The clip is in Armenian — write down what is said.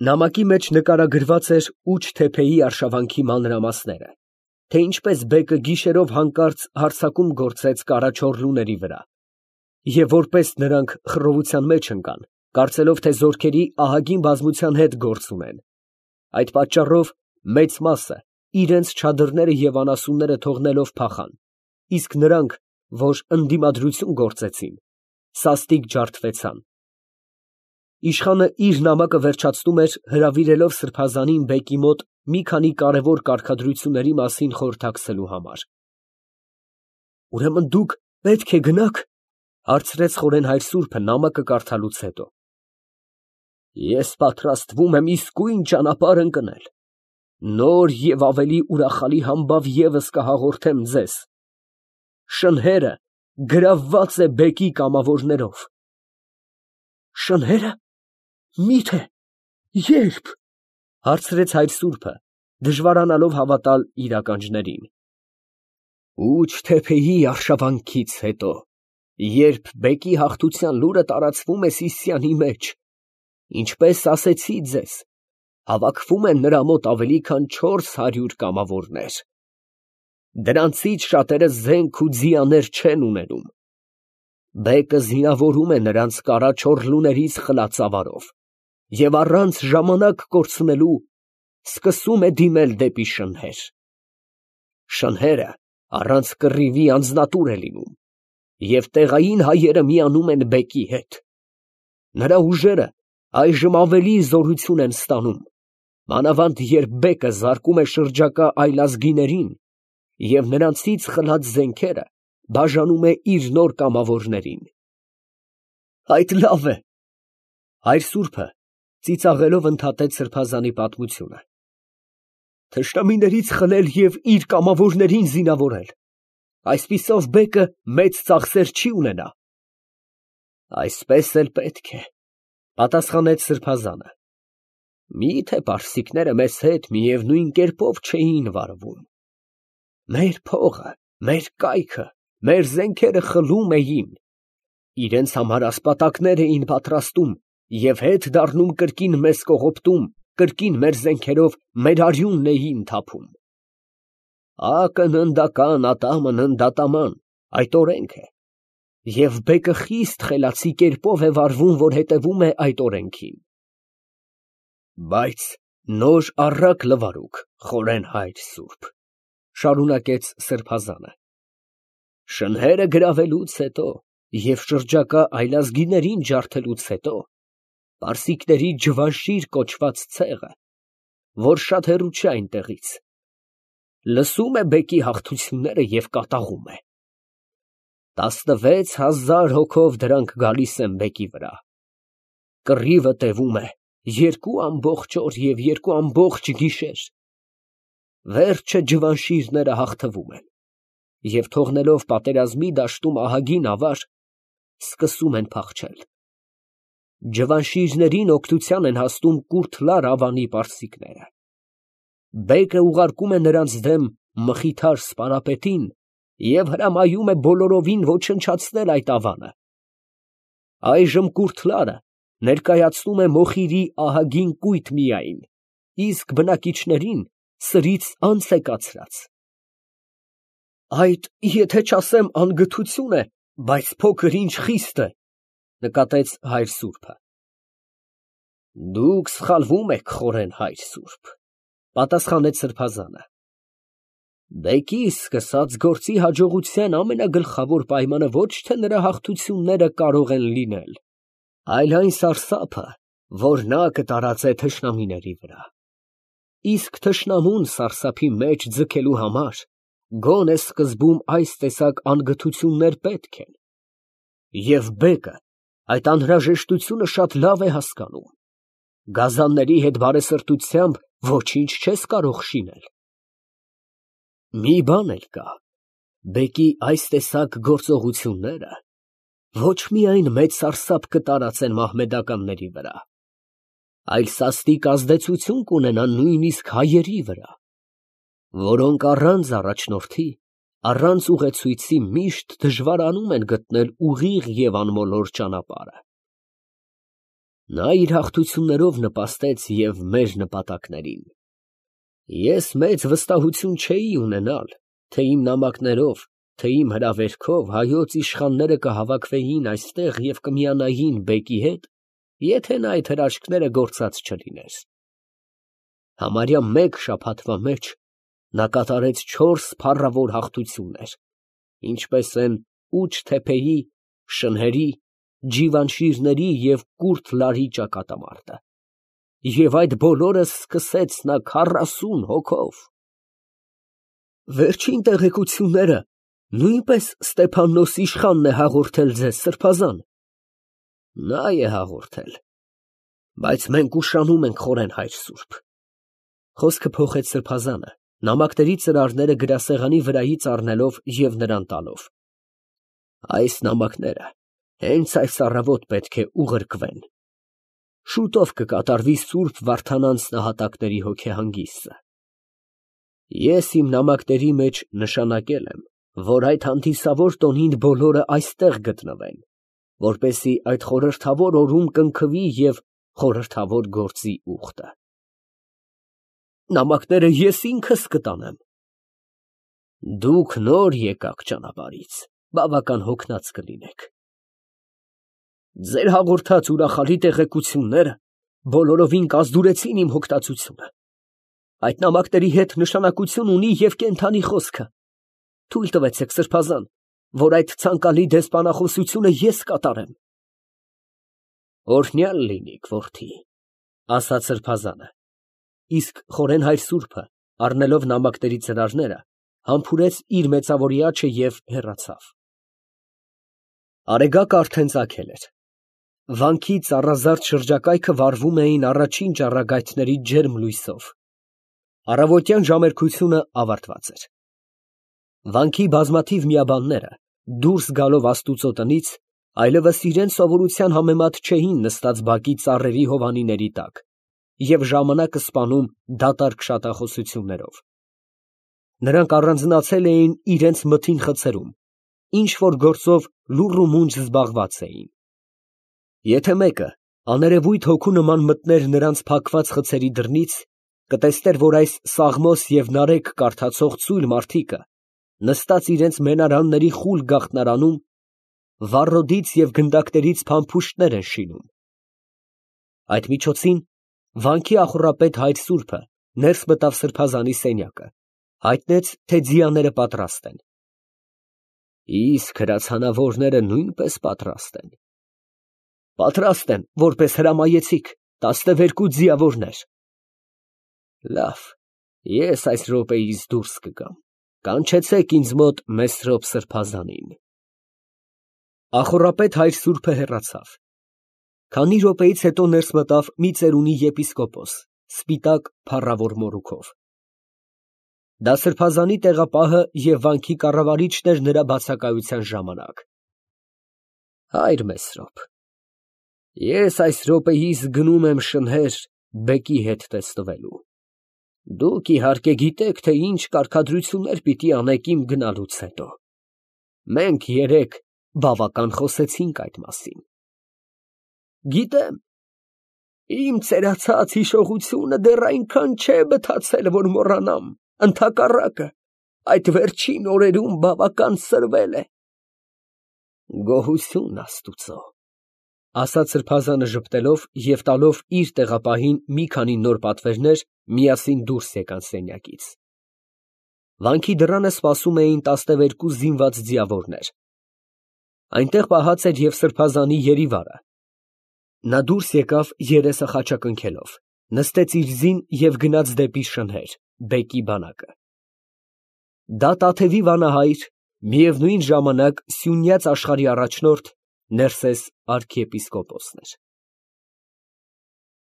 Նամակի մեջ նկարագրված էր Ուչ թեփեի արշավանքի մանրամասները, թե ինչպես բեկը գիշերով հանկարծ հարձակում գործեց կառա չորլուների վրա, և որպես նրանք խռովության մեջ ընկան, կարծելով, թե զորքերի ահագին բազմության հետ գործ ունեն. այդ պատճառով մեծ մասը իրենց չադրները և անասունները թողնելով փախան, իսկ նրանք, որ ընդդիմադրություն գործեցին, սաստիկ ջարդվեցան։ Իշխանը իր նամակը վերջացնում էր հրավիրելով սրբազանին բեկի մոտ մի քանի կարևոր կարգադրությունների մասին խորհրդակցելու համար։ ֊ Ուրեմն դուք պետք է գնաք, ֊ հարցրեց խորեն հայր սուրբը նամակը կարդալուց հետո։ ֊ Ես պատրաստվում եմ իսկույն ճանապարհ ընկնել, նոր և ավելի ուրախալի համբավ ևս կհաղորդեմ ձեզ. շնհերը գրավված է բեկի կամավորներով։ ֊ Շնհե՞րը, մի՞թե, ե՞րբ, ֊ հարցրեց հայր սուրբը, դժվարանալով հավատալ իր ականջներին։ ֊ Ուչ թեփեի արշավանքից հետո, երբ բեկի հաղթության լուրը տարածվում է Սիսիանի մեջ, ինչպես ասեցի ձեզ, հավաքվում են նրա մոտ ավելի քան 400 կամավորներ. դրանցից շատերը զենք ու ձիաներ չեն ունենում։ Բեկը զինավորում է նրանց կառա չորլուներից խլածավարով և առանց ժամանակ կորցնելու սկսում է դիմել դեպի շնհեր։ Շնհերը առանց կռիվի անձնատուր է լինում, և տեղային հայերը միանում են բեկի հետ։ Նրա ուժերը այժմ ավելի զորություն են ստանում, մանավանդ երբ բեկը զարկում է շրջակա այլազգիներին և նրանցից խլած զենքերը բաժանում է իր նոր կամավորներին։ ֊ Այդ լավ է, ֊ հայր սուրբը ծիծաղելով ընդհատեց սրբազանի պատմությունը, ֊ թշնամիներից խլել և իր կամավորներին զինավորել, այսպիսով բեկը մեծ ծախսեր չի ունենա։ ֊ Այսպես էլ պետք է, ֊ պատասխանեց սրբազանը, ֊ մի՞թե պարսիկները մեզ հետ միևնույն կերպով չէին վարվում։ Մեր փողը, մեր կայքը, մեր զենքերը խլում էին, իրենց համար ասպատակներ էին պատրաստում և հետ դառնում կրկին մեզ կողոպտում, կրկին մեր զենքերով մեր արյունն էին թափում։ Ակն ընդական, ատամն ընդատաման, այդ օրենք է, և բեկը խիստ խելացի կերպով է վարվում, որ հետևում է այդ օրենքին։ Բայց նոր առակ լվարուք, խորեն հայր սուրբ, ֊ շարունակեց սրբազանը, ֊ շնհերը գրավելուց հետո և շրջակա այլազգիներին ջարդելուց հետո պարսիկների ջվանշիր կոչված ցեղը, որ շատ հեռու չէ այնտեղից, լսում է բեկի հաղթությունները և կատաղում է։ 16,000 հոգով դրանք գալիս են բեկի վրա։ Կռիվը տևում է 2 ամբողջ օր և 2 ամբողջ գիշեր։ Վերջը ջվանշիրները հաղթվում են և թողնելով պատերազմի դաշտում ահագին ավար, սկսում են փախչել։ Ջվանշիրներին օգնության են հասնում Կուրթլար ավանի պարսիկները։ Բեկը ուղարկում է նրանց դեմ մխիթար սպարապետին և հրամայում է բոլորովին ոչնչացնել այդ ավանը։ Այժմ Կուրթլարը ներկայացնում է Մոխիրի ահագին կույտ միայն, իսկ բնակիչներին սրից անց է կացրած։ Այդ, եթե չասեմ անգթություն է, բայց փոքր ինչ խիստ է, ֊ նկատեց հայր սուրբը։ ֊ Դուք սխալվում եք, խորեն հայր սուրբ, ֊ պատասխանեց սրբազանը։ Բեկի սկսած գործի հաջողության ամենագլխավոր պայմանը ոչ թե նրա հաղթությունները կարող են լինել, այլ այն սարսափը, որ նա կտարածե թշնամիների վրա։ Իսկ թշնամուն սարսափի մեջ ձգելու համար գոնե սկզբում այս տեսակ անգթություններ պետք են, և բեկը այդ անհրաժեշտությունը շատ լավ է հասկանում։ Գազանների հետ բարեսրտությամբ ոչինչ չես կարող շինել։ Մի բան էլ կա. բեկի այս տեսակ գործողությունները ոչ միայն մեծ սարսափ կտարածեն մահմեդականների վրա, այլ սաստիկ ազդեցություն կունենան նույնիսկ հայերի վրա, որոնք առանց առաջնորդի, առանց ուղեցույցի միշտ դժվարանում են գտնել ուղիղ և անմոլոր ճանապարհը։ Նա իր հաղթություններով նպաստեց և մեր նպատակներին։ Ես մեծ վստահություն չէի ունենալ, թե իմ նամակներով, թե իմ հրավերքով հայոց իշխանները կհավաքվեին այստեղ և կմիանային բեկի հետ, եթե նա այդ հրաշքները գործած չլիներ։ Համարյա մեկ շաբաթվա մեջ նա կատարեց 4 փառավոր հաղթություններ, ինչպես են Ուչ-Թեփեի, Շնհերի, Ջիվանշիրների և Կուրթ Լարի ճակատամարտը, և այդ բոլորը սկսեց նա 40 հոգով։ Վերջին տեղեկությունները նույնպես Ստեփաննոս իշխանն է հաղորդել ձեզ, սրբազան։ Նա է հաղորդել, բայց մենք ուշանում ենք խորեն հայր սուրբ։ Խոսքը փոխեց սրբազանը, նամակների ծրարները գրասեղանի վրայից առնելով և նրան տալով։ Այս նամակները հենց այս առավոտ պետք է ուղարկվեն։ Շուտով կկատարվի սուրբ Վարդանանց նահատակների հոգեհանգիստը։ Ես իմ նամակների մեջ նշանակել եմ, որ այդ հանդիսավոր տոնին բոլորը այստեղ գտնվեն, որպեսզի այդ խորհրդավոր օրում կնքվի և խորհրդավոր գործի ուխտը։ Նամակները ես ինքս կտանեմ։ Դուք նոր եկաք ճանապարհից, բավական հոգնած կլինեք։ Ձեր հաղորդած ուրախալի տեղեկությունները բոլորովին կազդուրեցին իմ հոգտացությունը։ Այդ նամակների հետ նշանակություն ունի և կենդանի խոսքը։ Թույլ տվեցեք, սրբազան, որ այդ ցանկալի դեսպանախոսությունը ես կատարեմ։ Օրհնյալ լինիք, որդի, ասաց սրբազանը, իսկ խորեն հայր սուրբը, առնելով նամակների ծրարները, համբուրեց իր մեծավորի աջը և հեռացավ։ Արեգակը արդեն ծագել էր։ Վանքի ծառազարդ շրջակայքը վառվում էին առաջին ճառագայթների ջերմ լույսով։ Առավոտյան ժամերքությունը ավարտված էր։ Վանքի բազմաթիվ միաբանները, դուրս գալով աստուծո տնից, այլևս իրենց սովորության համեմատ չէին նստած բակի ծառերի հովանիների տակ և ժամանակը սպանում դատարկ շատախոսություններով։ Նրանք առանձնացել էին իրենց մթին խցերում, ինչ֊որ գործով լուռ ու մունջ զբաղված էին։ Եթե մեկը աներևույթ հոգու նման մտներ նրանց փակված խցերի դռնից, կտեսներ, որ այս Սաղմոս և Նարեկ կարդացող ծույլ մարդիկը, նստած իրենց մենարանների խուլ գաղտնարանում, վառոդից և գնդակներից փամփուշտներ են շինում։ Այդ միջոցին վանքի ախոռապետ հայր սուրբը ներս մտավ սրբազանի սենյակը, հայտնեց, թե ձիաները պատրաստ են։ Իսկ հրացանավորները նույնպես պատրաստ են։ Պատրաստ են, որպես հրամայեցիք, 12 ձիավորներ։ Լավ, ես այս րոպեից դուրս կգամ, կանչեցեք ինձ մոտ Մեսրոպ սրբազանին։ Ախոռապետ հայր սուրբը հեռացավ։ Քանի րոպեից հետո ներս մտավ մի ծերունի եպիսկոպոս, սպիտակ փառավոր մորուքով։ Դա սրբազանի տեղապահը և վանքի կառավարիչն էր նրա բացակայության ժամանակ։ Հայր Մեսրոպ, ես այս րոպեիս գնում եմ Շնհեր բեկի հետ տեսնվելու։ Դուք իհարկե գիտեք, թե ինչ կարգադրություններ պիտի անեք իմ գնալուց հետո։ Մենք երեկ բավական խոսեցինք այդ մասին։ Գիտեմ, իմ ծերացած հիշողությունը դեռ այնքան չէ բթացել, որ մոռանամ, ընդհակառակը, այդ վերջին օրերում բավական սրվել է։ Գոհություն Աստուծո, ասաց սրբազանը ժպտելով և տալով իր տեղապահին մի քանի նոր պատվերներ, միասին դուրս եկան սենյակից։ Վանքի դռանը սպասում էին 12 զինված ձիավորներ։ Այնտեղ պահած էր և սրբազանի երիվարը։ Նա դուրս եկավ երեսը խաչակնքելով, նստեց իր զին և գնաց դեպի Շնհեր, բեկի բանակը։ Դա Տաթևի վանահայր, միևնույն ժամանակ Սյունյաց աշխարհի առաջնորդ Ներսես արքիեպիսկոպոսն էր։